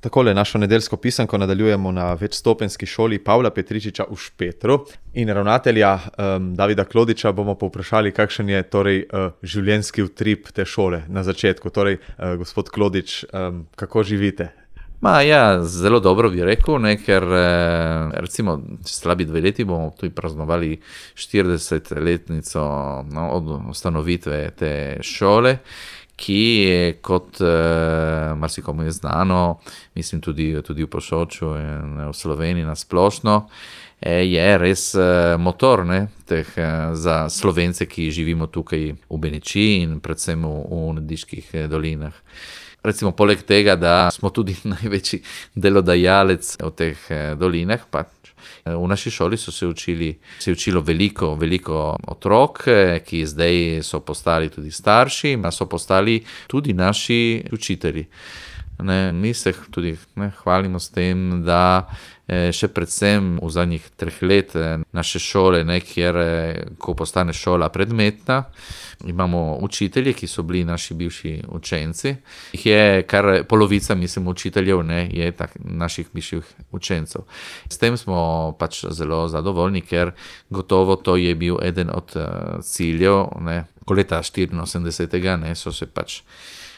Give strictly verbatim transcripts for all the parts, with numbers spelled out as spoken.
Takole našo nedeljsko pisanko nadaljujemo na večstopenjski šoli Pavla Petričiča v Špetru in ravnatelja um, Davida Klodiča bomo povprašali, kakšen je torej uh, življenjski utrip te šole na začetku. Torej, uh, gospod Klodič, um, kako živite? Ma, ja, zelo dobro bi rekel, ne, ker recimo slabi dve leti bomo tudi praznovali štiridesetletnico no, od ustanovitve te šole, ki je, kot eh, marsikomu je znano, mislim tudi, tudi v Posočju in v Sloveniji na splošno, eh, je res eh, motor ne, teh, eh, za Slovence, ki živimo tukaj v Benečiji in predvsem v, v Nediških eh, dolinah. Recimo, poleg tega, da smo tudi največji delodajalec v teh eh, dolinah, pa v naši šoli so se učili, se je učilo veliko, veliko otrok, ki zdaj so postali tudi starši, a so postali tudi naši učitelji. Ne, mi se tudi ne, hvalimo s tem, da eh, še predvsem v zadnjih treh let naše šole, ne, kjer ko postane šola predmetna, imamo učitelje, ki so bili naši bivši učenci. Jih je kar polovica, mislim, učiteljev, ne, je tak, naših bivših učencev. S tem smo pač zelo zadovoljni, ker gotovo to je bil eden od uh, ciljev, ne, ko leta štiriinosemdesetega, ne, so se pač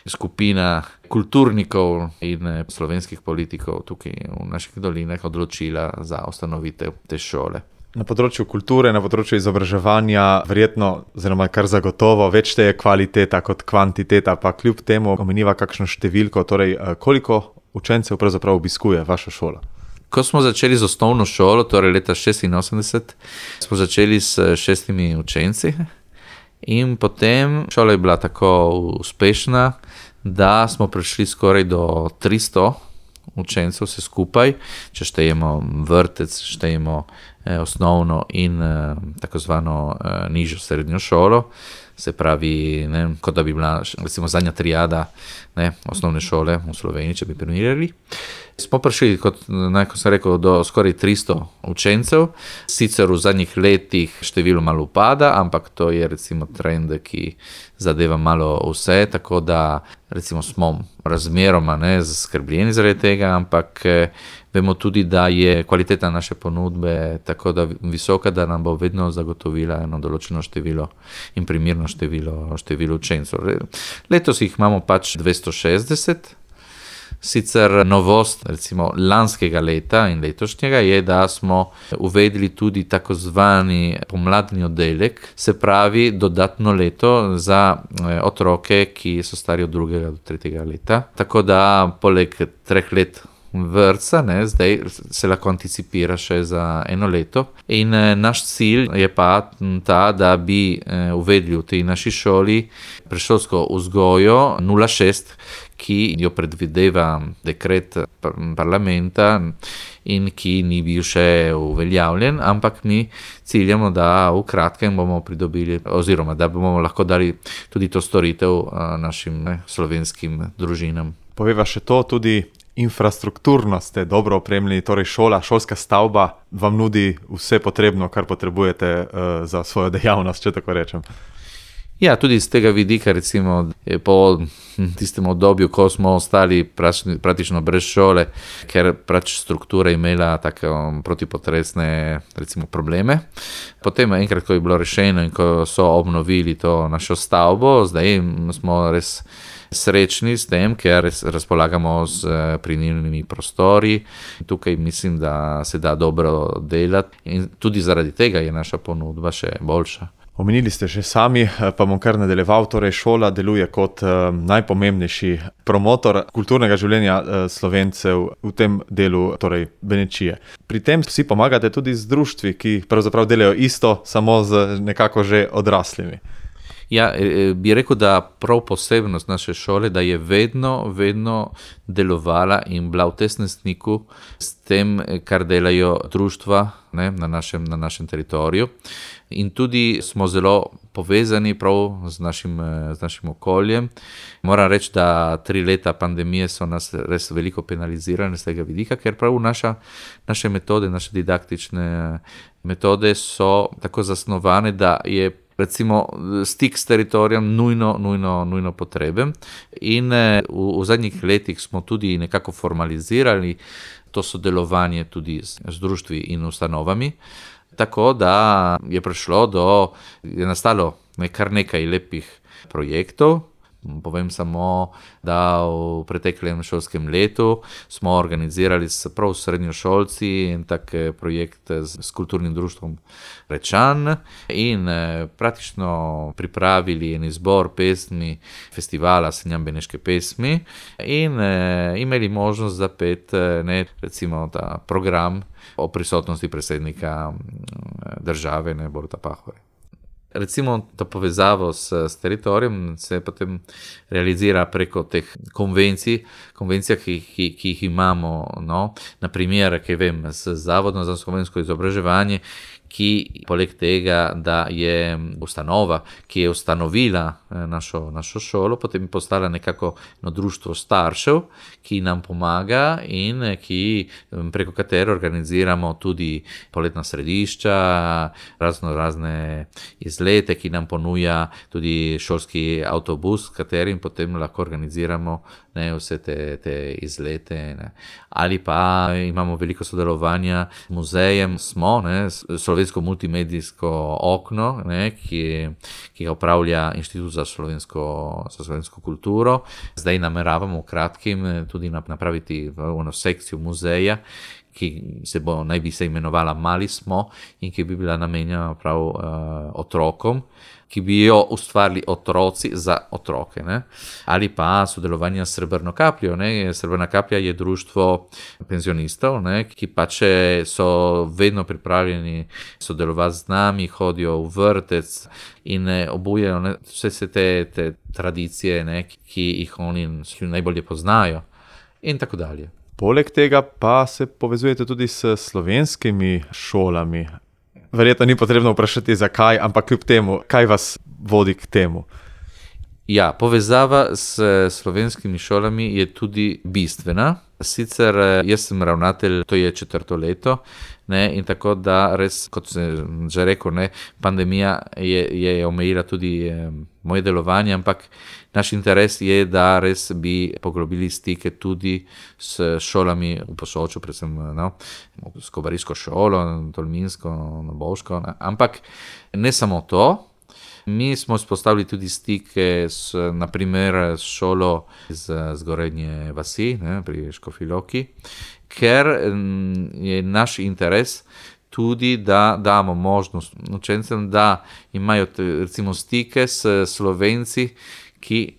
skupina kulturnikov in slovenskih politikov tukaj v naših dolinah odločila za ustanovitev te šole. Na področju kulture, na področju izobraževanja, verjetno, oziroma kar zagotovo, več te je kvaliteta kot kvantiteta, pa kljub temu omeniva kakšno številko, torej koliko učencev pravzaprav obiskuje vaša šola? Ko smo začeli z osnovno šolo, torej leta šestinosemdeset, smo začeli s šestimi učenci in potem šola je bila tako uspešna, da smo prišli skoraj do tristo učencev vse skupaj, če štejemo vrtec, štejemo eh, osnovno in eh, tako zvano eh, nižjo srednjo šolo, se pravi, ne, kot da bi bila recimo zadnja triada ne, osnovne šole v Sloveniji, če bi primerjali. Smo prišli, kot, ne, kot sem rekel, do skoraj tristo učencev, sicer v zadnjih letih število malo upada, ampak to je recimo trend, ki zadeva malo vse, tako da recimo smo razmeroma ne, zaskrbljeni zaradi tega, ampak eh, vemo tudi, da je kvaliteta naše ponudbe tako da visoka, da nam bo vedno zagotovila eno določeno število in primerno število, število učencev. Letos jih imamo pač dvesto šestdeset. Sicer novost recimo lanskega leta in letošnjega je, da smo uvedli tudi tako zvani pomladni oddelek, se pravi dodatno leto za otroke, ki so stari od drugega do tretjega leta. Tako da poleg treh let vrtca, ne, zdaj se lahko anticipira še za eno leto. In eh, naš cilj je pa ta, da bi eh, uvedli v tej naši šoli predšolsko vzgojo nula šest, ki jo predvideva dekret parlamenta in ki ni bil še uveljavljen, ampak mi ciljamo, da v kratkem bomo pridobili, oziroma da bomo lahko dali tudi to storitev našim ne, slovenskim družinam. Poveva še to, tudi infrastrukturno ste dobro opremljeni, torej šola, šolska stavba vam nudi vse potrebno, kar potrebujete uh, za svojo dejavnost, če tako rečem. Ja, tudi z tega vidika, recimo, po tistem obdobju, ko smo ostali praktično brez šole, ker pač struktura imela tako protipotresne, recimo, probleme. Potem enkrat, ko je bilo rešeno in ko so obnovili to našo stavbo, zdaj smo res srečni s tem, ker razpolagamo z primerljivimi prostori. Tukaj mislim, da se da dobro delati in tudi zaradi tega je naša ponudba še boljša. Omenili ste že sami, pa bom kar nadaljeval, torej šola deluje kot uh, najpomembnejši promotor kulturnega življenja uh, Slovencev v tem delu, torej Benečije. Pri tem si pomagate tudi z društvi, ki pravzaprav delajo isto, samo z nekako že odraslimi. Ja, bi rekel, da prav posebnost naše šole, da je vedno, vedno delovala in bila v tesnem stiku s tem, kar delajo društva ne, na, našem, na našem teritoriju. In tudi smo zelo povezani prav z našim, z našim okoljem. Moram reči, da tri leta pandemije so nas res veliko penalizirali z tega vidika, ker prav naša, naše metode, naše didaktične metode so tako zasnovane, da je recimo stik s teritorijem nujno, nujno, nujno potreben. In v, v zadnjih letih smo tudi nekako formalizirali to sodelovanje tudi z, z društvi in ustanovami, tako da je prišlo do, je nastalo kar nekaj lepih projektov. Povem samo, da v preteklem šolskem letu smo organizirali s prav srednjošolci en tak projekt s, s kulturnim društvom Rečan in eh, praktično pripravili en izbor pesmi festivala Senjam Beneške pesmi in eh, imeli možnost zapet eh, ne, recimo ta program o prisotnosti predsednika države, ne, Boruta Pahorja. Recimo, ta povezavo s, s teritorijem se potem realizira preko teh konvencij, konvencija, ki, ki, ki jih imamo, no, naprimer, kaj vem, z Zavodom za slovensko izobraževanje, ki poleg tega, da je ustanova, ki je ustanovila našo, našo šolo, potem je postala nekako no, društvo staršev, ki nam pomaga in ki, preko katere organiziramo tudi poletna središča, razno razne izlete, ki nam ponuja tudi šolski avtobus, s katerim potem lahko organiziramo ne, vse te, te izlete. Ne. Ali pa imamo veliko sodelovanja z muzejem, smo, ne, slovensko multimedijsko okno, ne, ki, ki ga upravlja Inštitut za slovensko, za slovensko kulturo. Zdaj nameravamo v kratkim tudi napraviti eno sekcijo muzeja, ki se bo naj bi se imenovala Mali smo in ki bi bila namenjena prav uh, otrokom, ki bi jo ustvarili otroci za otroke. Ne? Ali pa sodelovanje s Srebrno kapljo. Ne? Srebrna kaplja je društvo penzionistov, ne? Ki pač so vedno pripravljeni sodelovati z nami, hodijo v vrtec in obujajo ne? Vse se te, te tradicije, ne? Ki jih oni najbolje poznajo in tako dalje. Poleg tega pa se povezujete tudi s slovenskimi šolami. Verjetno ni potrebno vprašati, zakaj, ampak kljub temu, kaj vas vodi k temu? Ja, povezava s slovenskimi šolami je tudi bistvena. Sicer jaz sem ravnatelj, to je četrto leto, ne, in tako da res, kot sem že rekel, ne, pandemija je, je omejila tudi eh, moje delovanje, ampak naš interes je, da res bi poglobili stike tudi s šolami v Posočju, predvsem no, s Kobarijsko šolo, Tolminsko, Noboško, ne, ampak ne samo to. Mi smo spostavili tudi stike s, naprimer, s šolo iz Zgornje vasi, ne, pri Škofji Loki, ker je naš interes tudi, da damo možnost učencem, da imajo recimo stike s Slovenci, ki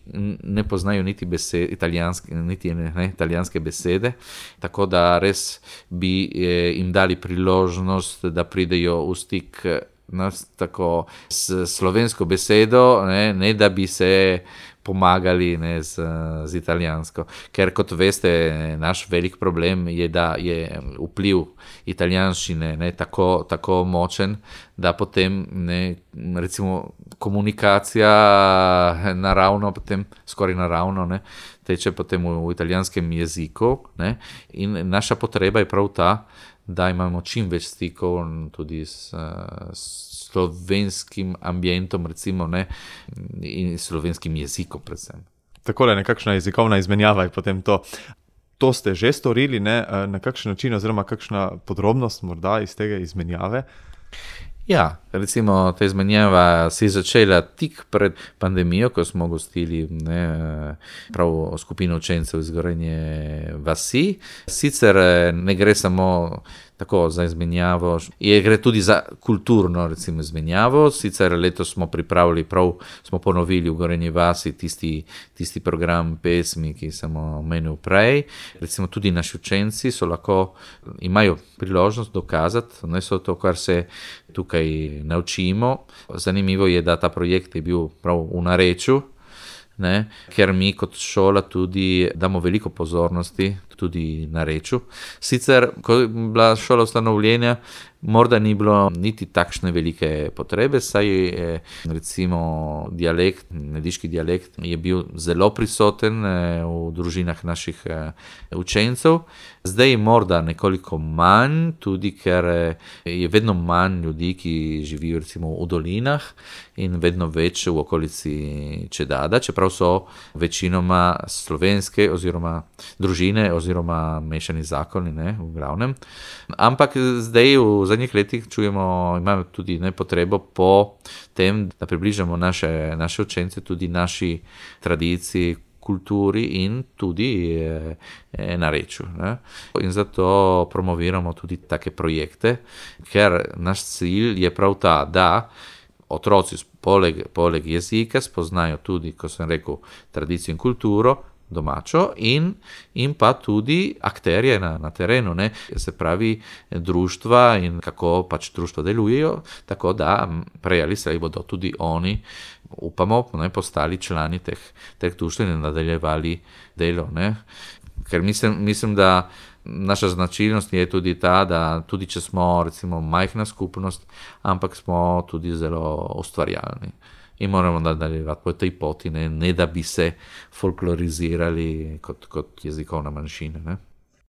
ne poznajo niti besed, italijanske, niti ne, ne, italijanske besede, tako da res bi eh, jim dali priložnost, da pridejo v stik nas tako s slovensko besedo, ne, ne da bi se pomagali ne, z, z italijansko. Ker kot veste, naš velik problem je, da je vpliv italijanščine ne, tako, tako močen, da potem ne, recimo komunikacija naravno, potem skoraj naravno ne, teče potem v, v italijanskem jeziku. Ne, in naša potreba je prav ta, da imamo čim več stikov tudi s, s slovenskim ambientom, recimo, ne, in slovenskim jezikom predvsem. Takole, nekakšna jezikovna izmenjava je potem to. To ste že storili, ne, na kakšen način oziroma kakšna podrobnost morda iz tega izmenjave? Ja, recimo ta izmenjava se je začela tik pred pandemijo, ko smo gostili ne, prav skupino učencev iz Zgornje vasi. Sicer ne gre samo tako za izmenjavo, je gre tudi za kulturno recimo izmenjavo. Sicer letos smo pripravili, prav smo ponovili v Zgornji vasi tisti, tisti program pesmi, ki sem omenil prej. Recimo tudi naši učenci so lahko, imajo priložnost dokazati, ne so to, kar se tukaj naučimo. Zanimivo je, da ta projekt je bil prav v narečju, ne, ker mi kot šola tudi damo veliko pozornosti tudi narečil. Sicer, ko je bila šola ustanovljena, morda ni bilo niti takšne velike potrebe, saj je recimo dialekt, nediški dialekt je bil zelo prisoten v družinah naših učencev. Zdaj je morda nekoliko manj, tudi ker je vedno manj ljudi, ki živijo recimo v dolinah in vedno več v okolici Čedada, čeprav so večinoma slovenske oziroma družine oziroma mešani zakoni, ne, v glavnem. Ampak zdaj v zadnjih letih čujemo, imamo tudi ne, potrebo po tem, da približamo naše, naše učence tudi naši tradiciji, kulturi in tudi e, e, narečju. Ne. In zato promoviramo tudi take projekte, ker naš cilj je prav ta, da otroci poleg, poleg jezika spoznajo tudi, ko sem rekel, tradicijo in kulturo, domačo in, in pa tudi akterje na, na terenu, ne, se pravi društva in kako pač društva delujejo, tako da prej ali slej bodo tudi oni, upamo, ne, postali člani teh, teh društv in nadaljevali delo. Ne. Ker mislim, mislim, da naša značilnost je tudi ta, da tudi če smo recimo majhna skupnost, ampak smo tudi zelo ustvarjalni. In moramo nadaljevati po tej poti, ne, ne da bi se folklorizirali kot, kot jezikovna manjšina. Ne.